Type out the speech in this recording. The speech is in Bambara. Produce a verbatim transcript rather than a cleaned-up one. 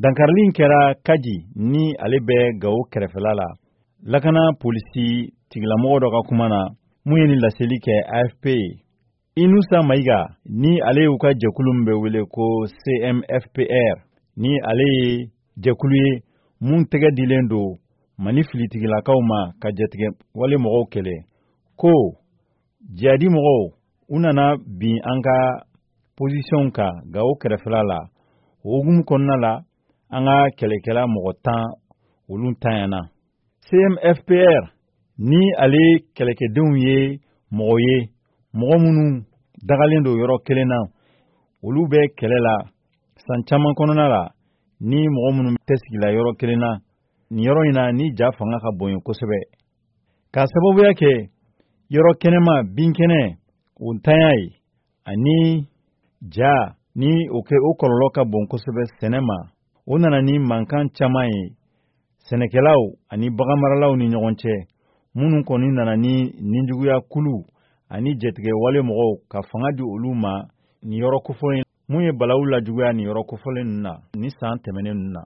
Dankarili in kɛra Kaji, ni ale bɛ Gawo kɛrɛfɛla la. Lakana polisi tigilamɔgɔ dɔ ka kuma na, mun ye nin laseli kɛ A F P ye, Inusa Mayiga, ni ale y'u ka jɛkulu min bɛ wele ko C M F P R, ni ale ye jɛkulu ye mun tɛgɛ dilen don Mali filitigilakaw ma ka jatigɛ wale mɔgɔw kɛlɛ, ko jihadi mɔgɔw u nana bin an ka positionw kan Gawo kɛrɛfɛla la. O hukumu kɔnɔna la, an ka kɛlɛkɛla mɔgɔ tan, olu tanyana. C M F P R, ni ale kɛlɛkɛdenw ye mɔgɔ ye, mɔgɔ minnu dagalen don yɔrɔ kelen na, olu bɛ kɛlɛ la san caman kɔnɔna la, ni mɔgɔ minnu tɛ sigila yɔrɔ kelen na. Nin yɔrɔ in na, ni ja fanga ka bon ye kosɛbɛ, k'a sababuya kɛ yɔrɔ kɛnɛma binkɛnɛ o ntanya ye, ani ja ni o kɛ o kɔlɔlɔ ka bon kosɛbɛ sɛnɛ ma. O nana ni mankan caman ye sɛnɛkɛlaw ani baganmaralaw ni ɲɔgɔn cɛ, minnu kɔni nana ni ninjuguya kulu ani jɛtigɛ wale mɔgɔw ka fanga di olu ma nin yɔrɔ kofɔlen, mun ye balawu lajuguya nin yɔrɔ kofɔlen ninnu na ni san tɛmɛnen ninnu na.